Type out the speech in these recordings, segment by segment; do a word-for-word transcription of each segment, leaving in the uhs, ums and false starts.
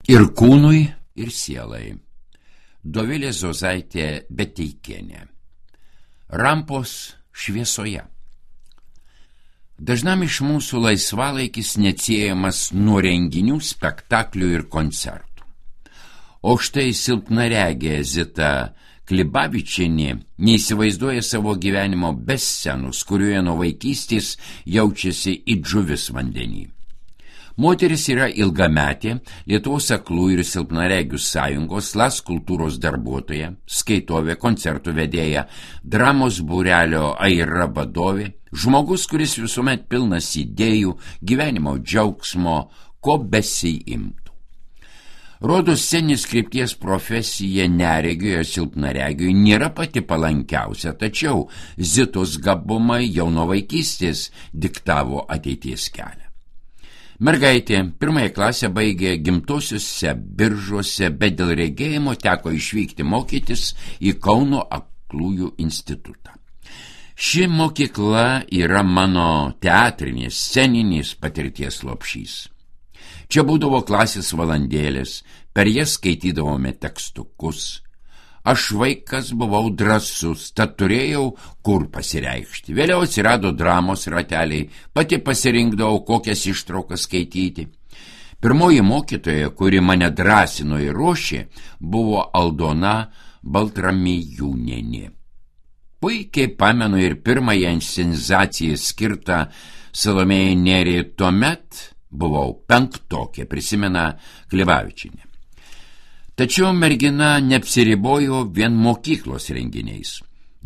Ir kūnui, ir sielai. Dovilė Zozaitė Beteikienė. Rampos šviesoje. Dažnam iš mūsų laisvalaikis neatsiejamas nuo renginių, spektaklių ir koncertų. O štai silpnaregė Zita Klibavičienė neįsivaizduoja savo gyvenimo be scenos, kurioje nuo vaikystės jaučiasi it žuvis vandenį. Moteris yra ilgametė Lietuvos aklų ir silpnaregių sąjungos LAS kultūros darbuotoja, skaitovė, koncertų vedėja, dramos būrelio Aira vadovė, žmogus, kuris visuomet pilnas idėjų, gyvenimo džiaugsmo, ko besiimtų. Rodos sceninės krypties profesija neregiui ir silpnaregiui nėra pati palankiausia, tačiau Zitos gabumai jau nuo vaikystės diktavo ateities kelią. Mergaitė pirmąją klasę baigė gimtosiuose Biržuose, bet dėl regėjimo teko išvykti mokytis į Kauno aklųjų institutą. Ši mokykla yra mano teatrinės, sceninės patirties lopšys. Čia būdavo klasės valandėlės, per jas skaitydavome tekstukus. Aš vaikas buvau drąsus, tad turėjau kur pasireikšti. Vėliau atsirado dramos rateliai, pati pasirinkdavau, kokias ištraukas skaityti. Pirmoji mokytoja, kuri mane drąsino ir ruošė, buvo Aldona Baltramėjūnienė. Puikiai pamenu ir pirmąją inscenizaciją skirtą Salomėjai Nėriai, tuomet buvau penktokė, prisimena Klibavičienė. Tačiau mergina neapsiribojo vien mokyklos renginiais.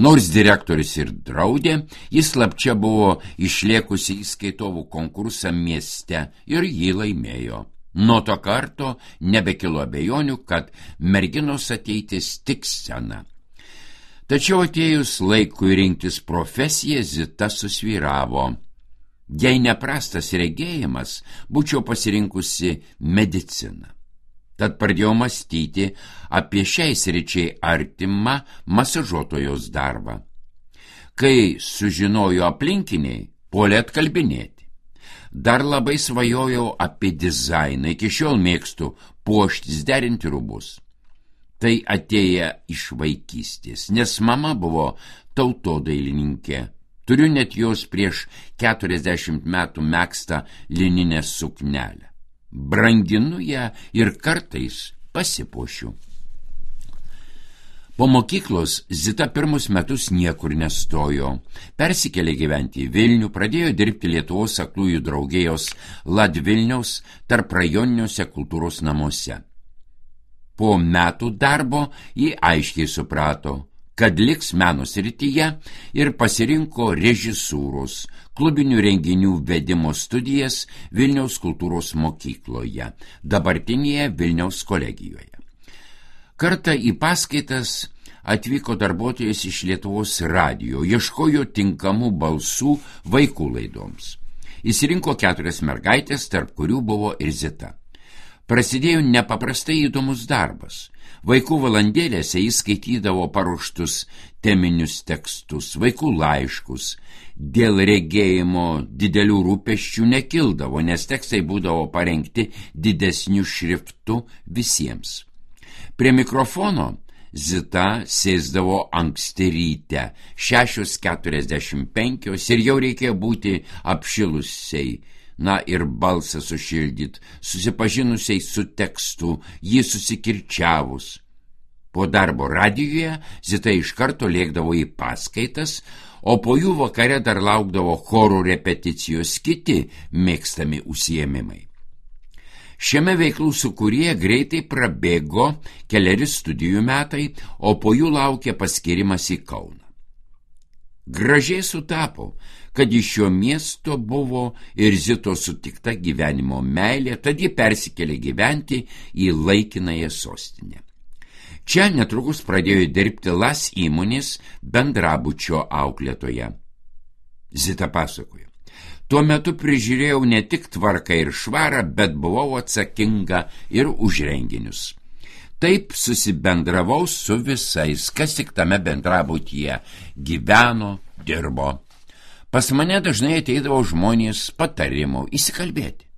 Nors direktorius ir draudė, jis slapčia buvo išliekusi į skaitovų konkursą mieste ir jį laimėjo. Nuo to karto nebekilo abejonių, kad merginos ateitis tik scena. Tačiau atėjus laikui rinktis profesiją, Zita susvyravo. Jei neprastas regėjimas, būčiau pasirinkusi mediciną. Tad pradėjau mąstyti apie šiai sričiai artimą masažuotojos darbą. Kai sužinojo aplinkiniai, puolė atkalbinėti. Dar labai svajojau apie dizainą, iki šiol mėgstu puoštis, derinti rūbus. Tai atėję iš vaikystės, nes mama buvo tautodailininkė. Turiu net jos prieš keturiasdešimt metų megztą lininę suknelę. Branginu ją ir kartais pasipuošiu. Po mokyklos Zita pirmus metus niekur nestojo. Persikėlė gyventi į Vilnių, pradėjo dirbti Lietuvos aklųjų draugijos Ladvilniaus tarp rajoniniuose kultūros namuose. Po metų darbo ji aiškiai suprato, kad liks meno srityje ir pasirinko režisūros, klubinių renginių vedimo studijas Vilniaus kultūros mokykloje, dabartinėje Vilniaus kolegijoje. Kartą į paskaitas atvyko darbuotojas iš Lietuvos radijo, ieškojo tinkamų balsų vaikų laidoms. Įsirinko keturias mergaitės, tarp kurių buvo ir Zita. Prasidėjo nepaprastai įdomus darbas. Vaikų valandėlėse jis skaitydavo paruoštus teminius tekstus, vaikų laiškus. Dėl regėjimo didelių rūpesčių nekildavo, nes tekstai būdavo parengti didesniu šriftu visiems. Prie mikrofono Zita sėsdavo anksti ryte, šešios keturiasdešimt penkios, ir jau reikėjo būti apšilusiai, na ir balsą sušildyt, susipažinusiai su tekstu, jį susikirčiavus. Po darbo radijuje Zita iš karto lėkdavo į paskaitas, o po jų vakare dar laukdavo chorų repeticijos, kiti mėgstami užsiėmimai. Šiame veiklų sūkuryje greitai prabėgo keleri studijų metai, o po jų laukė paskirimas į Kauną. Gražiai sutapo, kad iš šio miesto buvo ir Zitos sutikta gyvenimo meilė, tad ji persikėlė gyventi į laikinąją sostinę. Čia netrukus pradėjo dirbti LAS įmonės bendrabučio auklėtoja. Zita pasakojo. Tuo metu prižiūrėjau ne tik tvarką ir švarą, bet buvau atsakinga ir už renginius. Taip susibendravau su visais, kas tik tame bendrabutyje gyveno, dirbo. Pas mane dažnai ateidavo žmonės patarimų, įsikalbėti.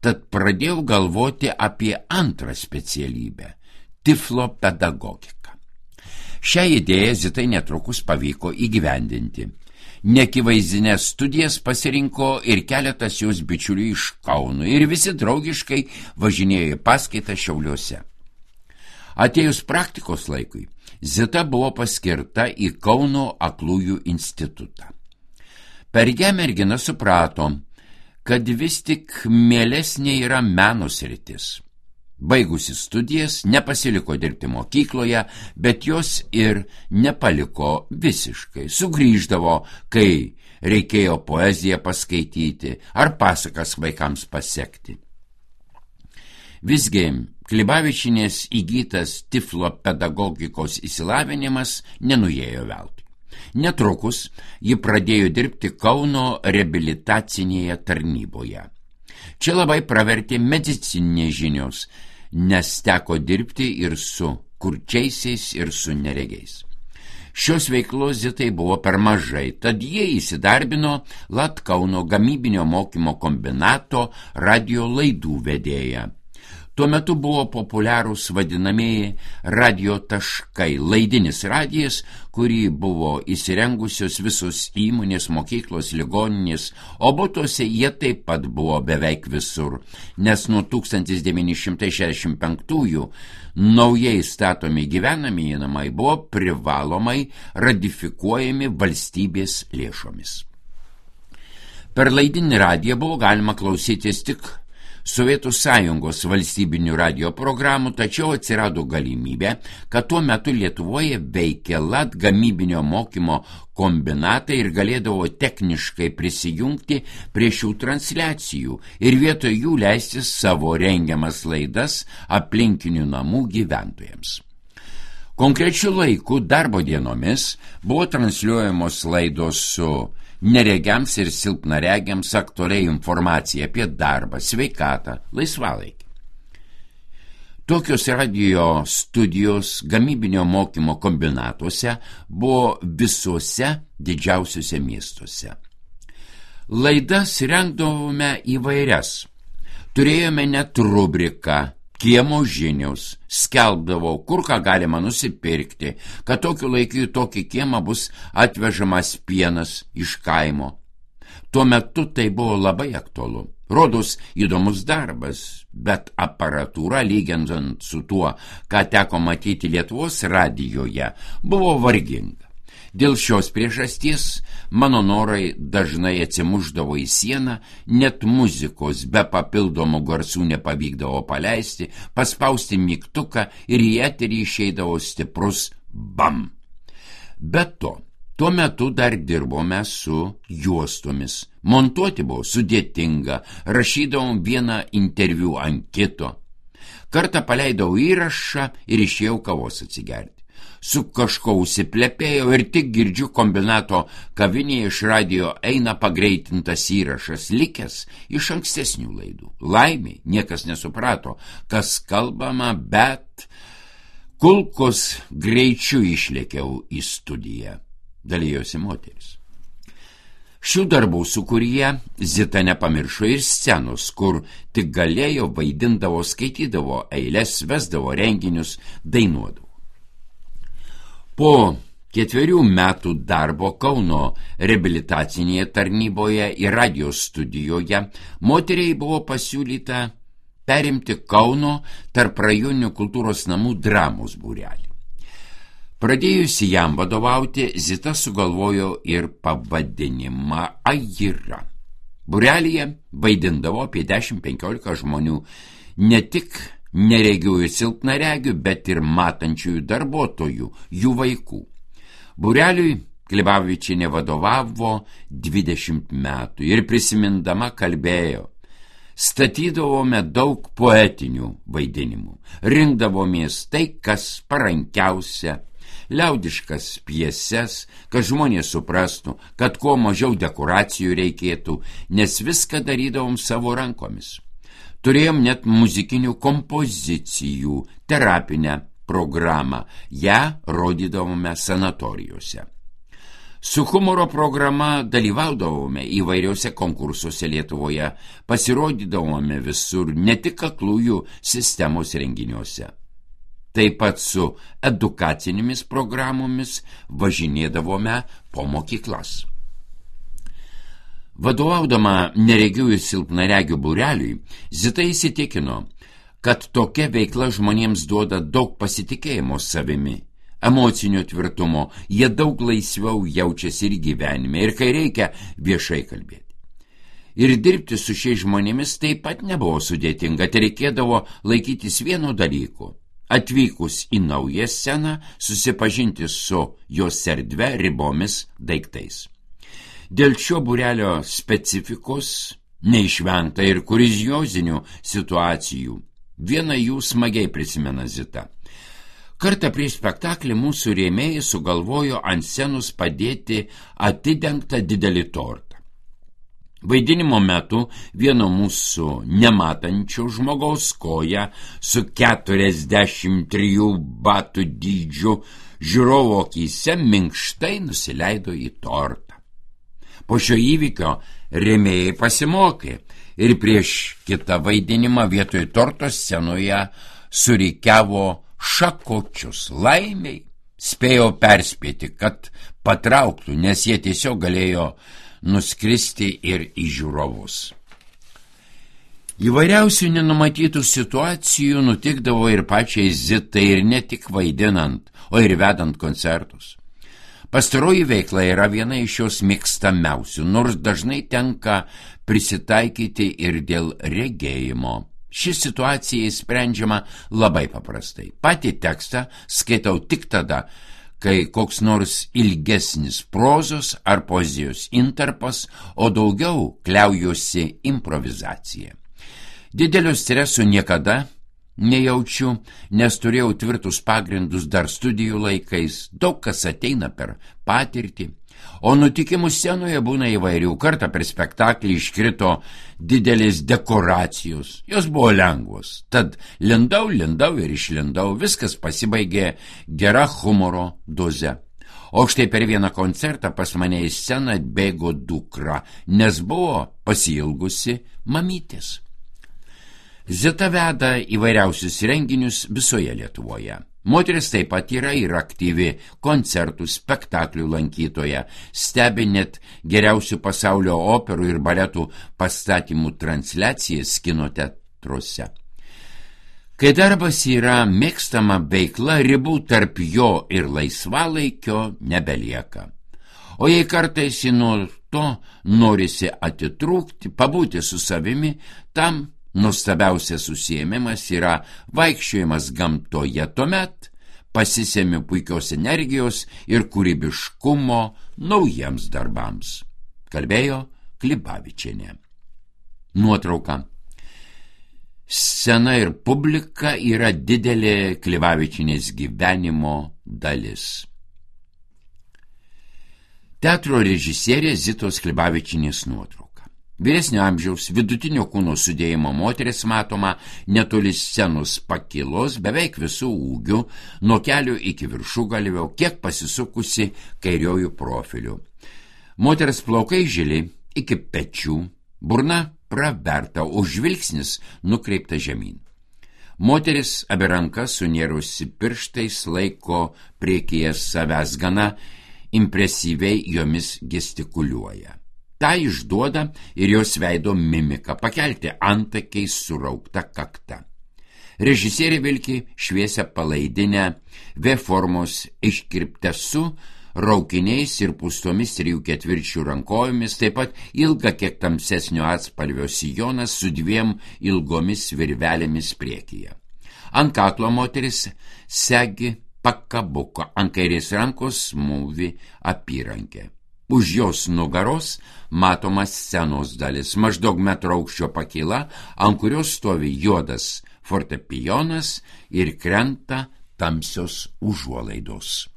tad pradėjau galvoti apie antrą specialybę – tiflo pedagogiką. Šią idėją Zitai netrukus pavyko įgyvendinti. Neakivaizdines studijas pasirinko ir keletas jos bičiulių iš Kauno ir visi draugiškai važinėjo į paskaitą Šiauliuose. Atėjus praktikos laikui, Zita buvo paskirta į Kauno aklųjų institutą. Per ją mergina suprato, kad vis tik mielesnė yra meno sritis. Baigusi studijas, nepasiliko dirbti mokykloje, bet jos ir nepaliko visiškai. Sugrįždavo, kai reikėjo poeziją paskaityti ar pasakas vaikams pasekti. Visgi, Klibavičienės įgytas tiflo pedagogikos išsilavinimas nenuėjo veltui. Netrukus ji pradėjo dirbti Kauno reabilitacinėje tarnyboje. Čia labai pravertė medicininės žinios, nes teko dirbti ir su kurčiaisiais, ir su neregiais. Šios veiklos Zitai buvo per mažai, tad jie įsidarbino Lat Kauno gamybinio mokymo kombinato radijo laidų vedėja. Tuo metu buvo populiarūs vadinamieji radio taškai, laidinis radijas, kurį buvo įsirengusios visos įmonės, mokyklos, ligoninės, o butuose jie taip pat buvo beveik visur, nes nuo tūkstantis devyni šimtai šešiasdešimt penktųjų naujai statomi gyvenamieji namai buvo privalomai ratifikuojami valstybės lėšomis. Per laidinį radiją buvo galima klausytis tik Sovietų Sąjungos valstybinių radio programų, tačiau atsirado galimybė, kad tuo metu Lietuvoje veikė Lat gamybinio mokymo kombinatai ir galėdavo techniškai prisijungti prie šių transliacijų ir vietoj jų leisti savo rengiamas laidas aplinkinių namų gyventojams. Konkrečiu laiku darbo dienomis buvo transliuojamos laidos su neregiams ir silpnaregiams aktualiai informacija apie darbą, sveikatą, laisvalaikį. Tokios radio studijos gamybinio mokymo kombinatuose buvo visuose didžiausiuose miestuose. Laidas rengdavome įvairias. Turėjome net rubriką Kiemo žinios, skelbdavo, kur ką galima nusipirkti, kad tokiu laiku į tokį kiemą bus atvežamas pienas iš kaimo. Tuo metu tai buvo labai aktualu. Rodos įdomus darbas, bet aparatūra, lyginant su tuo, ką teko matyti Lietuvos radijoje, buvo varginga. Dėl šios priežasties mano norai dažnai atsimušdavo į sieną, net muzikos be papildomų garsų nepavykdavo paleisti, paspausti mygtuką ir į eterį išeidavo stiprus bam. Be to, tuo metu dar dirbome su juostomis. Montuoti buvo sudėtinga, rašydavom vieną interviu ant kito. Kartą paleidau įrašą ir išėjau kavos atsigerti. Su kažko užsiplepėjau ir tik girdžiu kombinato kavinėje iš radio eina pagreitintas įrašas, likęs iš ankstesnių laidų. Laimiai niekas nesuprato, kas kalbama, bet kulkos greičiu išlėkiau į studiją, dalijosi moteris. Šių darbų sūkuryje Zita nepamiršo ir scenos, kur tik galėjo, vaidindavo, skaitydavo eiles, vesdavo renginius, dainuodavo. Po ketverių metų darbo Kauno reabilitacinėje tarnyboje ir radio studijoje moteriai buvo pasiūlyta perimti Kauno tarprajonių kultūros namų dramos būrelį. Pradėjusi jam vadovauti, Zita sugalvojo ir pavadinimą Aira. Būrelyje vaidindavo apie dešimt penkiolika žmonių, ne tik neregių ir silpnaregių, bet ir matančiųjų darbuotojų, jų vaikų. Būreliui Klibavičienė vadovavo dvidešimt metų ir prisimindama kalbėjo: statydavome daug poetinių vaidinimų, rinkdavomės tai, kas parankiausia, liaudiškas pjeses, kad žmonės suprastų, kad kuo mažiau dekoracijų reikėtų, nes viską darydavom savo rankomis. Turėjom net muzikinių kompozicijų, terapinę programą, ją rodydavome sanatorijose. Su humoro programa dalyvaudavome įvairiuose konkursuose Lietuvoje, pasirodydavome visur, ne tik aklųjų sistemos renginiuose. Taip pat su edukacinėmis programomis važinėdavome po mokyklas. Vadovaudama neregių ir silpnaregių būreliui, Zita įsitikino, kad tokia veikla žmonėms duoda daug pasitikėjimo savimi, emocinio tvirtumo, jie daug laisviau jaučiasi ir gyvenime, ir kai reikia viešai kalbėti. Ir dirbti su šiais žmonėmis taip pat nebuvo sudėtinga, tai reikėdavo laikytis vieno dalyko. Atvykus į naują sceną, susipažinti su jos erdve, ribomis, daiktais. Dėl šio būrelio specifikos neišvengta ir kuriozinių situacijų. Vieną jų smagiai prisimena Zita. Kartą prieš spektaklį mūsų rėmėjai sugalvojo ant scenos padėti atidengtą didelį tortą. Vaidinimo metu vieno mūsų nematančio žmogaus koja su keturiasdešimt trijų batų dydžiu žiūrovo akyse minkštai nusileido į tortą. Po šio įvykio rėmėjai pasimokė ir prieš kitą vaidinimą vietoj torto scenoje surikiavo šakočius. Laimiai spėjo perspėti, kad patrauktų, nes jie tiesiog galėjo nuskristi ir į žiūrovus. Įvairiausių nenumatytų situacijų nutikdavo ir pačiai Zitai, ir ne tik vaidinant, o ir vedant koncertus. Pastaroji veikla yra viena iš jos mėgstamiausių, nors dažnai tenka prisitaikyti ir dėl regėjimo. Ši situacija sprendžiama labai paprastai. Patį tekstą skaitau tik tada, kai koks nors ilgesnis prozos ar poezijos intarpas, o daugiau kliaujuosi improvizacija. Didelio streso niekada nejaučiu, nes turėjau tvirtus pagrindus dar studijų laikais, daug kas ateina per patirtį, o nutikimų scenoje būna įvairių. Kartą per spektaklį iškrito didelės dekoracijos, jos buvo lengvos, tad lindau, lindau ir išlindau, viskas pasibaigė gera humoro doze. O štai per vieną koncertą pas mane į sceną atbėgo dukra, nes buvo pasiilgusi mamytės. Zita veda įvairiausius renginius visoje Lietuvoje. Moteris taip pat yra ir aktyvi koncertų, spektaklių lankytoja, stebi net geriausių pasaulio operų ir baletų pastatymų transliacijas kino teatruose. Kai darbas yra mėgstama veikla, ribų tarp jo ir laisvalaikio nebelieka. O jei kartais nuo to norisi atitrūkti, pabūti su savimi, tam nuostabiausias užsiėmimas yra vaikščiojimas gamtoje, tuomet pasisemiu puikios energijos ir kūrybiškumo naujiems darbams. Kalbėjo Klibavičienė. Nuotrauka. Scena ir publika yra didelė Klibavičienės gyvenimo dalis. Teatro režisierė Zitos Klibavičienės nuotrauka. Vyresnio amžiaus vidutinio kūno sudėjimo moteris matoma netoli scenos pakilos, beveik visų ūgių, nuo kelių iki viršugalvio, kiek pasisukusi kairiojų profiliu. Moters plaukai žili iki pečių, burna praverta, o žvilgsnis nukreipta žemyn. Moteris abi rankas sunėrusi pirštais laiko priekyje savęs, gana impresyviai jomis gestikuliuoja. Ta išduoda ir jos veido mimika, pakelti antakiais suraukta kakta. Režisierė vilki šviesią palaidinę, V formos iškirptę su raukiniais ir pūstomis trijų ketvirčių rankojomis, taip pat ilga kiek tamsesnio atspalvio sijonas su dviem ilgomis virvelėmis priekyje. Ant kaklo moteris segi pakabuko, ant kairės rankos mūvi apyrankė. Už jos nugaros matomas scenos dalis, maždaug metro aukščio pakyla, ant kurios stovi juodas fortepijonas ir krenta tamsios užuolaidos.